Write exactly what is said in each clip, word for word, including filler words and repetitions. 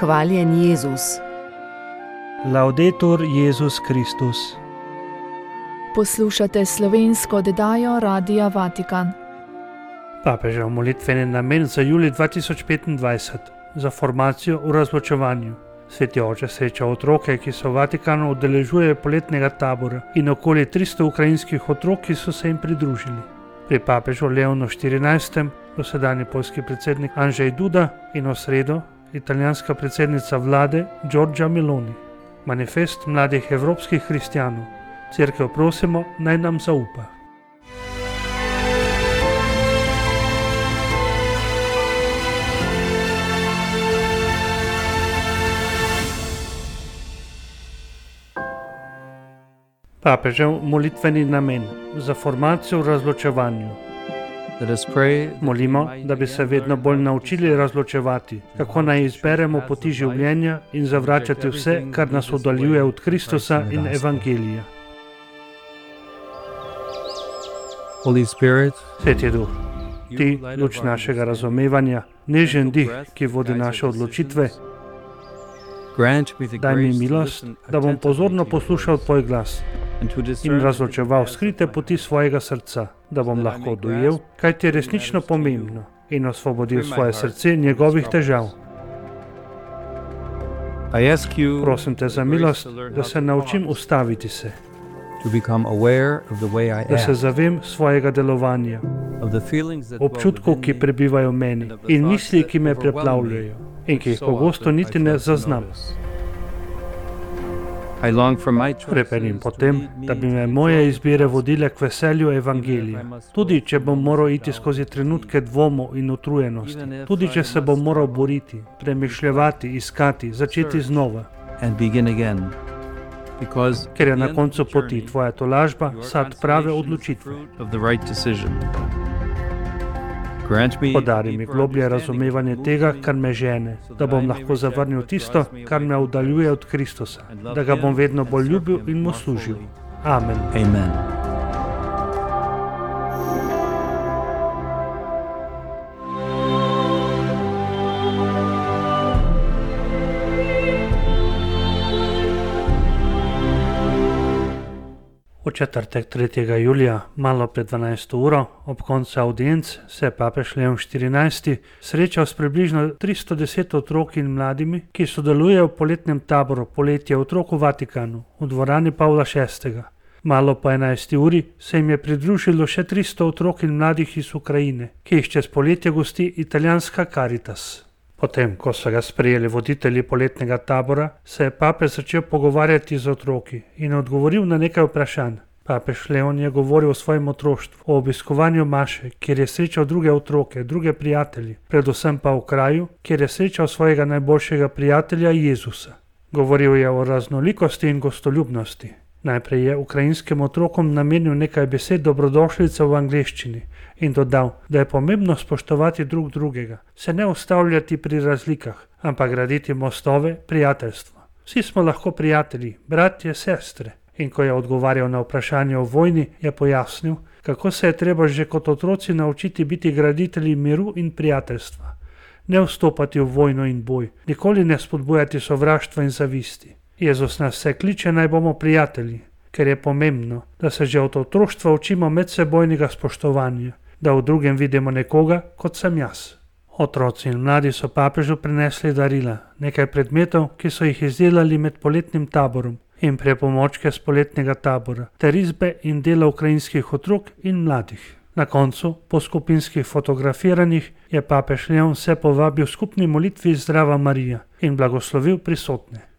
Hvaljen Jezus. Laudetur Jezus Kristus. Poslušate slovensko oddajo Radia Vatikan. Papežev molitveni namen za julij dva tisoč petindvajset za formacijo v razločevanju. Sveti oče sreča otroke, ki se v Vatikanu udeležujejo poletnega tabora, in okoli tristo ukrajinskih otrok, ki so se jim pridružili. Pri papežu Leonu štirinajstem, dosedanji poljski predsednik Andrzej Duda in v sredo italijanska predsednica vlade Giorgia Meloni. Manifest mladih evropskih hristijanov. Cerkev prosimo, naj nam zaupa. Papežev molitveni namen za formacijo v razločevanju. Molimo, da bi se vedno bolj naučili razločevati, kako naj izberemo poti življenja in zavračati vse, kar nas oddaljuje od Kristusa in Evangelija. Sveti Duh, ti, luč našega razumevanja, nežen dih, ki vodi naše odločitve, daj mi milost, da bom pozorno poslušal tvoj glas in razločeval skrite poti svojega srca, da bom lahko dojel, kaj ti je resnično pomembno, in osvobodil svoje srce njegovih težav. Prosim te za milost, da se naučim ustaviti se, da se zavem svojega delovanja, občutkov, ki prebivajo v meni, in misli, ki me preplavljajo in ki jih pogosto niti ne zaznam. Krepenim potem, da bi me moje izbire vodile k veselju Evangelija, tudi če bom moral iti skozi trenutke dvomov in utrujenosti, tudi če se bom moral boriti, premišljevati, iskati, začeti znova. Ker je na koncu poti tvoja tolažba sad prave odločitve. Podari mi globlje razumevanje tega, kar me žene, da bom lahko zavrnil tisto, kar me oddaljuje od Kristusa, da ga bom vedno bolj ljubil in mu služil. Amen. Amen. V četrtek tretjega julija, malo pred dvanajsto uro, ob koncu avdienc, se je papež Leon štirinajsti srečal s približno tristo deset otroki in mladimi, ki sodelujejo v poletnem taboru Poletje otrok v Vatikanu, v dvorani Pavla šestega. Malo po enajsti uri se jim je pridružilo še tristo otrok in mladih iz Ukrajine, ki jih čez poletje gosti italijanska Caritas. Potem, ko so ga sprejeli voditelji poletnega tabora, se je papež začel pogovarjati z otroki in odgovoril na nekaj vprašanj. Papež Leon je govoril o svojem otroštvu, o obiskovanju maše, kjer je srečal druge otroke, druge prijatelje, predvsem pa v kraju, kjer je srečal svojega najboljšega prijatelja Jezusa. Govoril je o raznolikosti in gostoljubnosti. Najprej je ukrajinskim otrokom namenil nekaj besed dobrodošlice v angleščini in dodal, da je pomembno spoštovati drug drugega, se ne ustavljati pri razlikah, ampak graditi mostove prijateljstva. Vsi smo lahko prijatelji, bratje, sestre. In ko je odgovarjal na vprašanje o vojni, je pojasnil, kako se je treba že kot otroci naučiti biti graditelji miru in prijateljstva. Ne vstopati v vojno in boj, nikoli ne spodbujati sovraštva in zavisti. Jezus nas vse kliče, naj bomo prijatelji, ker je pomembno, da se že od otroštva učimo medsebojnega spoštovanja, da v drugem vidimo nekoga, kot sem jaz. Otroci in mladi so papežu prinesli darila, nekaj predmetov, ki so jih izdelali med poletnim taborom, in pripomočke z poletnega tabora, ter risbe in dela ukrajinskih otrok in mladih. Na koncu, po skupinskih fotografiranjih, je papež Leon vse povabil skupni molitvi Zdrava Marija in blagoslovil prisotne.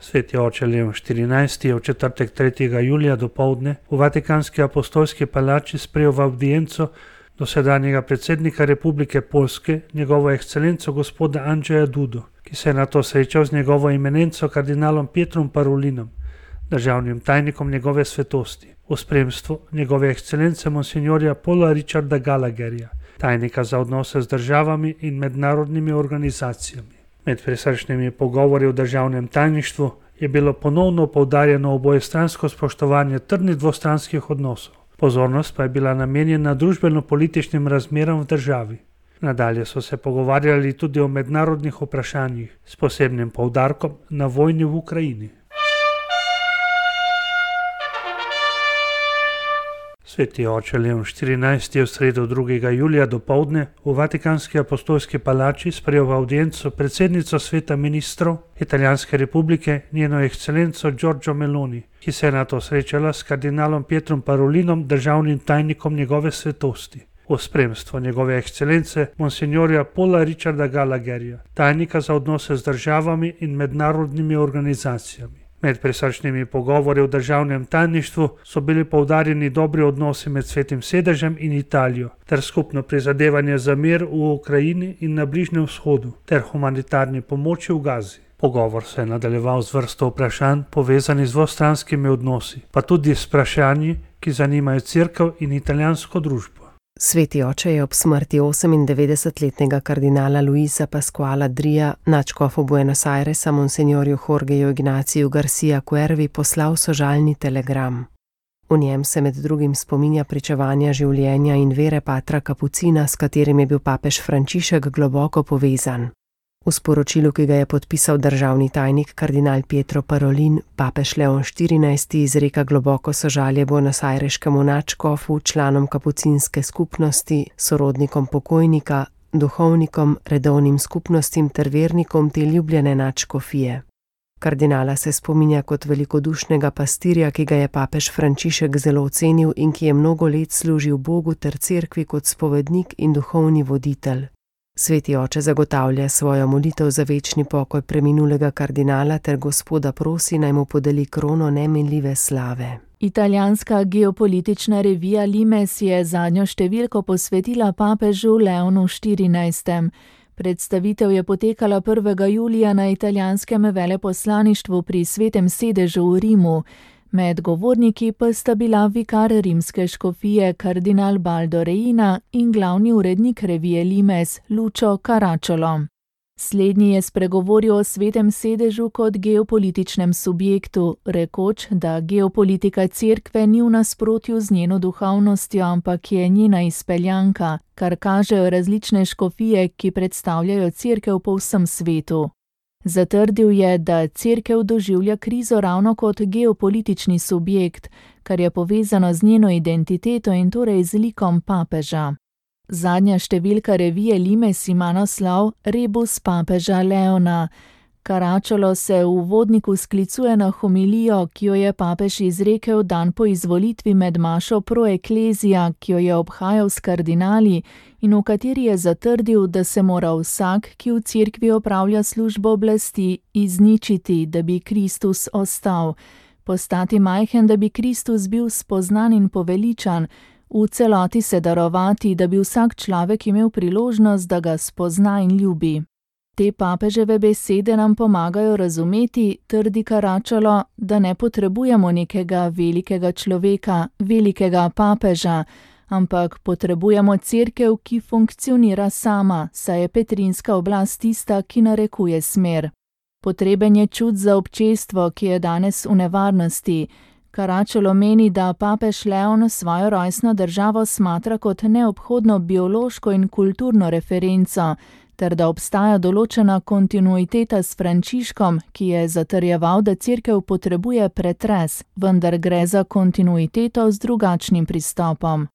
Sveti oče Leon štirinajsti je v četrtek tretjega julija dopoldne v Vatikanski apostolski palači sprejel v avdienco dosedanjega predsednika Republike Poljske, njegovo ekscelenco gospoda Andrzeja Dudo, ki se je nato srečal z njegovo eminenco kardinalom Pietrom Parolinom, državnim tajnikom njegove svetosti, v spremstvu njegove ekscelence monsignorja Paula Richarda Gallagherja, tajnika za odnose z državami in mednarodnimi organizacijami. Med prisrčnimi pogovori v državnem tajništvu je bilo ponovno poudarjeno obojestransko spoštovanje trdnih dvostranskih odnosov. Pozornost pa je bila namenjena družbeno-političnim razmeram v državi. Nadalje so se pogovarjali tudi o mednarodnih vprašanjih, s posebnim poudarkom na vojni v Ukrajini. Sveti oče Leon štirinajsti je v sredo drugega julija dopoldne v Vatikanski apostolski palači sprejel v avdienco predsednico sveta ministrov Italijanske republike, njeno ekscelenco Giorgio Meloni, ki se je nato srečala s kardinalom Pietrom Parolinom, državnim tajnikom njegove svetosti, v spremstvu njegove ekscelence monsignorja Paula Richarda Gallagherja, tajnika za odnose z državami in mednarodnimi organizacijami. Med prisrčnimi pogovori v državnem tajništvu so bili poudarjeni dobri odnosi med Svetim sedežem in Italijo, ter skupno prizadevanje za mir v Ukrajini in na Bližnjem vzhodu, ter humanitarni pomoči v Gazi. Pogovor se je nadaljeval z vrsto vprašanj povezanih z dvostranskimi odnosi, pa tudi s vprašanji, ki zanimajo cerkev in italijansko družbo. Sveti oče je ob smrti osemindevetdesetletnega kardinala Luisa Pasquala Drija nadškofu Buenos Airesa monsignorju Jorgeju Ignaciju Garcia Cuervi poslal sožalni telegram. V njem se med drugim spominja pričevanja življenja in vere patra Kapucina, s katerim je bil papež Frančišek globoko povezan. V sporočilu, ki ga je podpisal državni tajnik kardinal Pietro Parolin, papež Leon štirinajsti izreka globoko sožalje buenosajreškemu nadškofu, članom kapucinske skupnosti, sorodnikom pokojnika, duhovnikom, redovnim skupnostim ter vernikom te ljubljene nadškofije. Kardinala se spominja kot velikodušnega pastirja, ki ga je papež Frančišek zelo ocenil in ki je mnogo let služil Bogu ter cerkvi kot spovednik in duhovni voditelj. Sveti oče zagotavlja svojo molitev za večni pokoj preminulega kardinala ter Gospoda prosi, naj mu podeli krono neminljive slave. Italijanska geopolitična revija Limes je zadnjo številko posvetila papežu Leonu štirinajstem. Predstavitev je potekala prvega julija na italijanskem veleposlaništvu pri Svetem sedežu v Rimu. Med govorniki pa sta bila vikar rimske škofije kardinal Baldo Reina in glavni urednik revije Limes Lucio Caracciolo. Slednji je spregovoril o Svetem sedežu kot geopolitičnem subjektu, rekoč, da geopolitika cerkve ni v nasprotju z njeno duhovnostjo, ampak je njena izpeljanka, kar kažejo različne škofije, ki predstavljajo cerkev po vsem svetu. Zatrdil je, da cerkev doživlja krizo ravno kot geopolitični subjekt, kar je povezano z njeno identiteto in torej z likom papeža. Zadnja številka revije Limes ima naslov Rebus papeža Leona. Caracciolo se v uvodniku sklicuje na homilijo, ki jo je papež izrekel dan po izvolitvi med mašo pro ecclesia, ki jo je obhajal s kardinali in v kateri je zatrdil, da se mora vsak, ki v cerkvi opravlja službo oblasti, izničiti, da bi Kristus ostal, postati majhen, da bi Kristus bil spoznan in poveličan, v celoti se darovati, da bi vsak človek imel priložnost, da ga spozna in ljubi. Te papeževe besede nam pomagajo razumeti, trdi Caracciolo, da ne potrebujemo nekega velikega človeka, velikega papeža, ampak potrebujemo cerkev, ki funkcionira sama, saj je petrinska oblast tista, ki narekuje smer. Potreben je čut za občestvo, ki je danes v nevarnosti. Caracciolo meni, da papež Leon svojo rojstno državo smatra kot neobhodno biološko in kulturno referenco, ter da obstaja določena kontinuiteta s Frančiškom, ki je zatrjeval, da cerkev potrebuje pretres, vendar gre za kontinuiteto z drugačnim pristopom.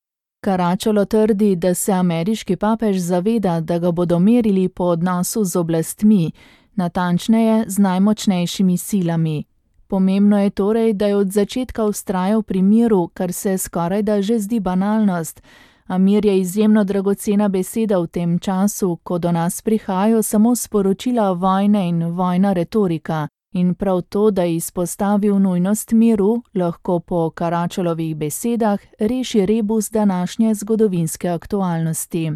Caracciolo trdi, da se ameriški papež zaveda, da ga bodo merili po odnosu z oblastmi, natančneje z najmočnejšimi silami. Pomembno je torej, da je od začetka vztrajal pri miru, kar se skorajda že zdi banalnost, a mir je izjemno dragocena beseda v tem času, ko do nas prihajajo samo sporočila vojne in vojna retorika, in prav to, da je izpostavil nujnost miru, lahko po Caracciolovi besedah reši rebus današnje zgodovinske aktualnosti.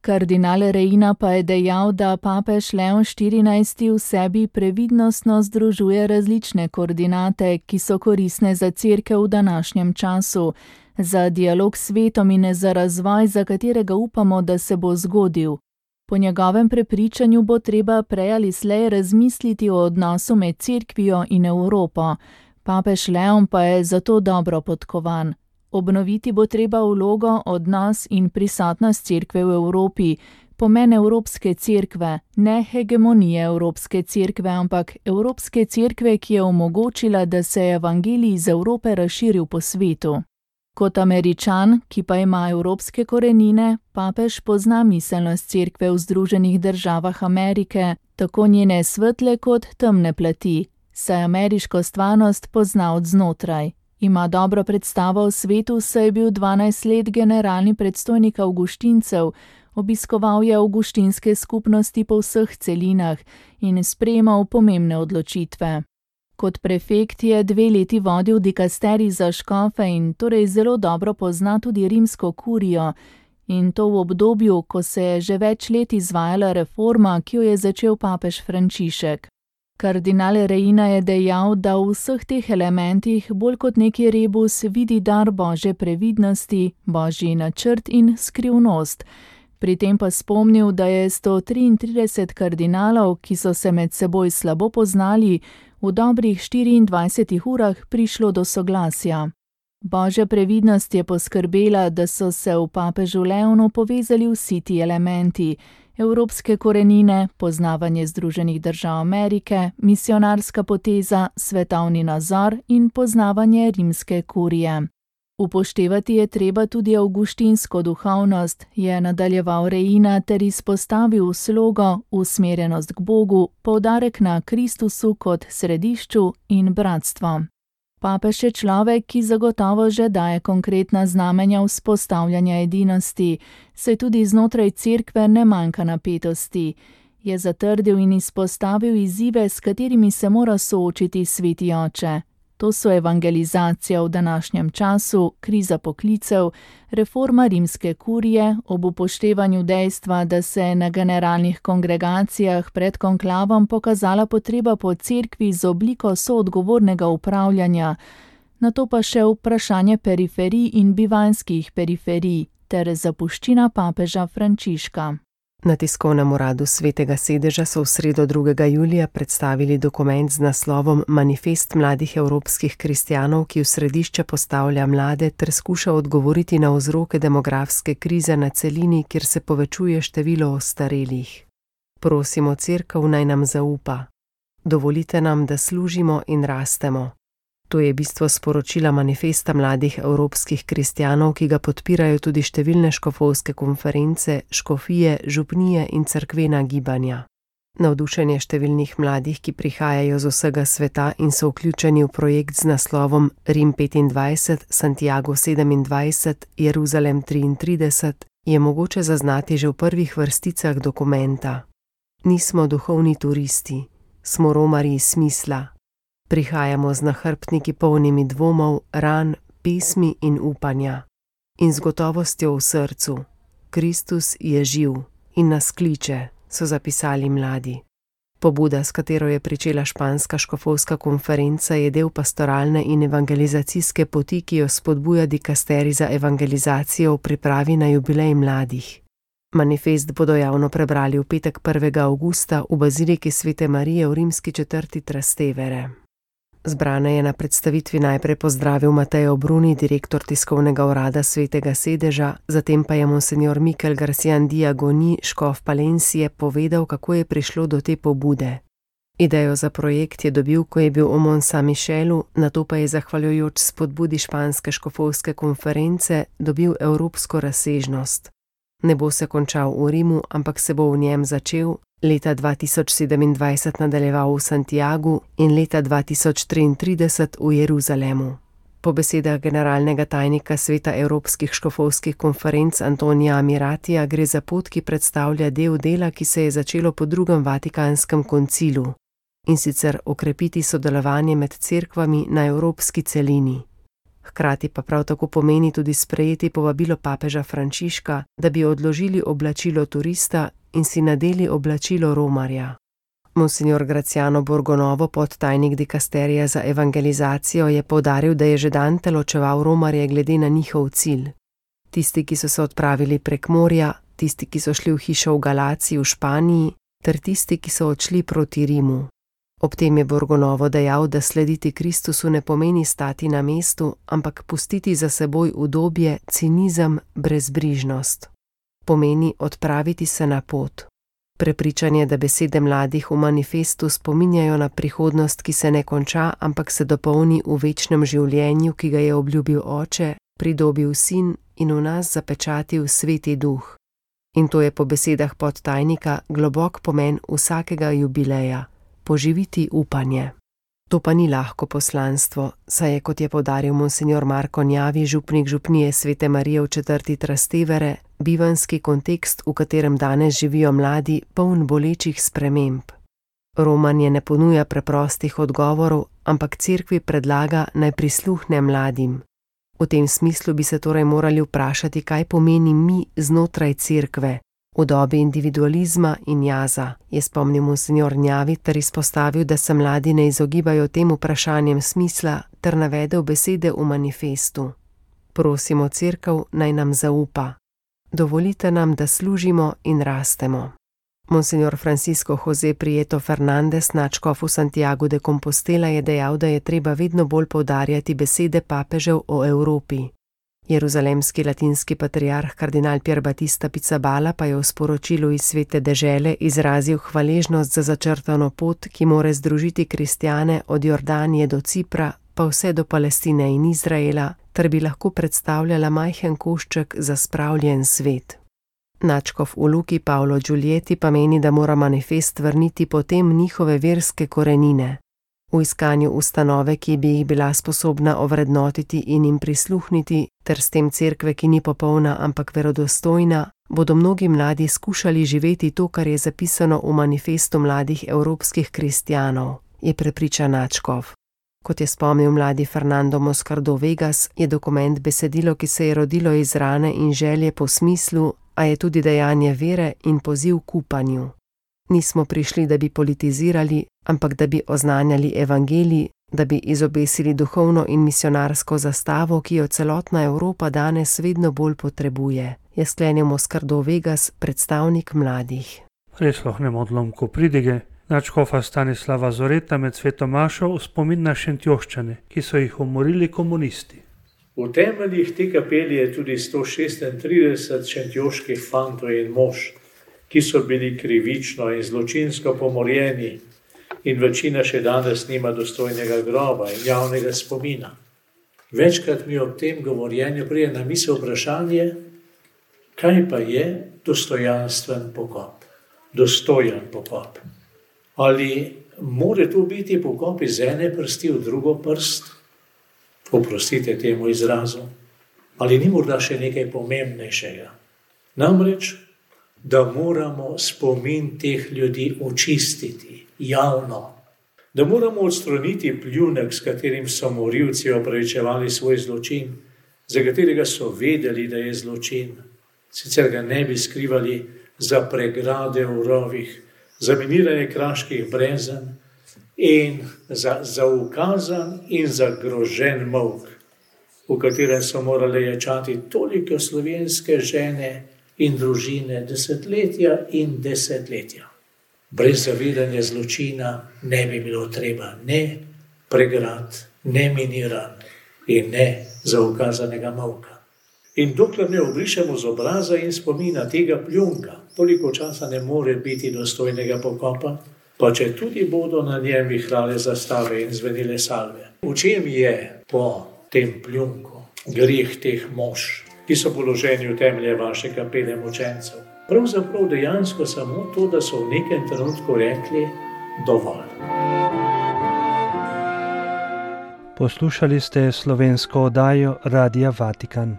Kardinal Reina pa je dejal, da papež Leon štirinajsti v sebi previdnostno združuje različne koordinate, ki so koristne za cerkev v današnjem času, za dialog s svetom in za razvoj, za katerega upamo, da se bo zgodil. Po njegovem prepričanju bo treba prej ali slej razmisliti o odnosu med cerkvijo in Evropo. Papež Leon pa je zato dobro podkovan. Obnoviti bo treba vlogo, odnos in prisotnost cerkve v Evropi, pomen Evropske cerkve, ne hegemonije Evropske cerkve, ampak Evropske cerkve, ki je omogočila, da se je evangelij iz Evrope razširil po svetu. Kot Američan, ki pa ima evropske korenine, papež pozna miselnost cerkve v Združenih državah Amerike, tako njene svetle kot temne plati, saj ameriško stvarnost pozna od znotraj. Ima dobro predstavo o svetu, saj je bil dvanajst let generalni predstojnik avguštincev, obiskoval je avguštinske skupnosti po vseh celinah in sprejemal pomembne odločitve. Kot prefekt je dve leti vodil dikasterij za škofe in torej zelo dobro pozna tudi rimsko kurijo, in to v obdobju, ko se je že več let izvajala reforma, ki jo je začel papež Frančišek. Kardinal Reina je dejal, da v vseh teh elementih bolj kot neki rebus vidi dar Božje previdnosti, Božji načrt in skrivnost. Pri tem pa spomnil, da je sto triintrideset kardinalov, ki so se med seboj slabo poznali, v dobrih štiriindvajsetih urah prišlo do soglasja. Božja previdnost je poskrbela, da so se v papežu Leonu povezali vsi ti elementi: evropske korenine, poznavanje Združenih držav Amerike, misionarska poteza, svetovni nazor in poznavanje rimske kurije. Upoštevati je treba tudi avguštinsko duhovnost, je nadaljeval Reina ter izpostavil slogo, usmerjenost k Bogu, poudarek na Kristusu kot središču in bratstvo. Papež je človek, ki zagotovo že daje konkretna znamenja vzpostavljanja edinosti, saj tudi znotraj cerkve ne manjka napetosti. Je zatrdil in izpostavil izzive, s katerimi se mora soočiti sveti oče. To so evangelizacija v današnjem času, kriza poklicev, reforma rimske kurije, ob upoštevanju dejstva, da se je na generalnih kongregacijah pred konklavom pokazala potreba po cerkvi z obliko soodgovornega upravljanja, nato pa še vprašanje periferij in bivanjskih periferij ter zapuščina papeža Frančiška. Na tiskovnem uradu Svetega sedeža so v sredo drugega julija predstavili dokument z naslovom Manifest mladih evropskih kristjanov, ki v središče postavlja mlade ter skuša odgovoriti na vzroke demografske krize na celini, kjer se povečuje število ostarelih. Prosimo cerkev, naj nam zaupa. Dovolite nam, da služimo in rastemo. To je bistvo sporočila Manifesta mladih evropskih kristjanov, ki ga podpirajo tudi številne škofovske konference, škofije, župnije in cerkvena gibanja. Navdušenje številnih mladih, ki prihajajo z vsega sveta in so vključeni v projekt z naslovom Rim petindvajset, Santiago sedemindvajset, Jeruzalem triintrideset, je mogoče zaznati že v prvih vrsticah dokumenta. Nismo duhovni turisti, smo romarji smisla. Prihajamo z nahrbtniki polnimi dvomov, ran, pesmi in upanja. In z gotovostjo v srcu. Kristus je živ in nas kliče, so zapisali mladi. Pobuda, s katero je pričela španska škofovska konferenca, je del pastoralne in evangelizacijske poti, ki jo spodbuja dikasterij za evangelizacijo v pripravi na jubilej mladih. Manifest bodo javno prebrali v petek prvega avgusta v baziliki Svete Marije v rimski četrti Trastevere. Zbrane je na predstavitvi najprej pozdravil Mateo Bruni, direktor tiskovnega urada Svetega sedeža, zatem pa je monsenjor Mikel Garcian Diagoni, škof Palencije, povedal, kako je prišlo do te pobude. Idejo za projekt je dobil, ko je bil v Mont Saint-Michelu, nato pa je zahvaljujoč spodbudi španske škofovske konference dobil evropsko razsežnost. Ne bo se končal v Rimu, ampak se bo v njem začel, leta dva tisoč sedemindvajset nadaljeval v Santiagu in leta dva tisoč triintrideset v Jeruzalemu. Po besedah generalnega tajnika Sveta evropskih škofovskih konferenc Antonija Amiratija gre za pot, ki predstavlja del dela, ki se je začelo po drugem Vatikanskem koncilu, in sicer okrepiti sodelovanje med cerkvami na evropski celini. Hkrati pa prav tako pomeni tudi sprejeti povabilo papeža Frančiška, da bi odložili oblačilo turista in si nadeli oblačilo romarja. Monsignor Graciano Borgonovo, podtajnik dikasterija za evangelizacijo, je poudaril, da je že Dante ločeval romarje glede na njihov cilj. Tisti, ki so se odpravili prek morja, tisti, ki so šli v hišo v Galaciji v Španiji, ter tisti, ki so odšli proti Rimu. Ob tem je Borgonovo dejal, da slediti Kristusu ne pomeni stati na mestu, ampak pustiti za seboj udobje, cinizem, brezbrižnost. Pomeni odpraviti se na pot. Prepričanje, da besede mladih v manifestu spominjajo na prihodnost, ki se ne konča, ampak se dopolni v večnem življenju, ki ga je obljubil Oče, pridobil Sin in v nas zapečatil Sveti Duh. In to je po besedah podtajnika globok pomen vsakega jubileja – poživiti upanje. To pa ni lahko poslanstvo, saj je, kot je poudaril monsinjor Marko Njavi, župnik župnije Svete Marije v četrti Trastevere, bivanski kontekst, v katerem danes živijo mladi, poln bolečih sprememb. Romanje ne ponuja preprostih odgovorov, ampak cerkvi predlaga, naj prisluhne mladim. V tem smislu bi se torej morali vprašati, kaj pomeni mi znotraj cerkve, v dobi individualizma in jaza, je spomnil monsinjor Njavi ter izpostavil, da se mladi ne izogibajo tem vprašanjem smisla ter navedel besede v manifestu. Prosimo cerkev, naj nam zaupa. Dovolite nam, da služimo in rastemo. Monsinjor Francisco José Prieto Fernandez, nadškof v Santiagu de Compostela, je dejal, da je treba vedno bolj poudarjati besede papežev o Evropi. Jeruzalemski latinski patriarh kardinal Pier Battista Pizzaballa pa je v sporočilu iz Svete dežele izrazil hvaležnost za začrtano pot, ki more združiti kristjane od Jordanije do Cipra, pa vse do Palestine in Izraela, ter bi lahko predstavljala majhen košček za spravljen svet. Nadškof v Luki Paolo Giulieti pa meni, da mora manifest vrniti potem njihove verske korenine. V iskanju ustanove, ki bi jih bila sposobna ovrednotiti in jim prisluhniti, ter s tem cerkve, ki ni popolna, ampak verodostojna, bodo mnogi mladi skušali živeti to, kar je zapisano v manifestu mladih evropskih kristjanov, je prepričan nadškof. Kot je spomnil mladi Fernando Moscardo Vegas, je dokument besedilo, ki se je rodilo iz rane in želje po smislu, a je tudi dejanje vere in poziv k upanju. Nismo prišli, da bi politizirali, ampak da bi oznanjali evangelij, da bi izobesili duhovno in misionarsko zastavo, ki jo celotna Evropa danes vedno bolj potrebuje, je sklenil Moscardo Vegas, predstavnik mladih. Prisluhnemo odlomku pridige. Nadškofa Stanislava Zoreta med sveto mašo v spomin na Šentjoščane, ki so jih umorili komunisti. V temeljih te kapelje je tudi sto šestintrideset šentjoških fantov in mož, ki so bili krivično in zločinsko pomorjeni in večina še danes nima dostojnega groba in javnega spomina. Večkrat mi ob tem govorjenju prije na misel vprašanje, kaj pa je dostojanstven pokop, dostojen pokop. Ali more to biti pokop iz ene prsti v drugo prst? Oprostite temu izrazu. Ali ni morda še nekaj pomembnejšega? Namreč, da moramo spomin teh ljudi očistiti javno. Da moramo odstraniti pljunek, s katerim so morilci opravičevali svoj zločin, za katerega so vedeli, da je zločin. Sicer ga ne bi skrivali za pregrade v rovih, za miniranje kraških brezen in za zaukazan in zagrožen molk, v katerem so morali ječati toliko slovenske žene in družine desetletja in desetletja. Brez zavedanja zločina ne bi bilo treba ne pregrad, ne miniran in ne zaukazanega molka. In dokler ne obrišemo z obraza in spomina tega pljunka, toliko časa ne more biti dostojnega pokopa, pa če tudi bodo na njem vihrale zastave in zvenile salve. V čem je po tem pljunku greh teh mož, ki so položeni v temelje vaše kapele mučencev? Pravzaprav dejansko samo to, da so v nekem trenutku rekli dovolj. Poslušali ste slovensko oddajo Radia Vatikan.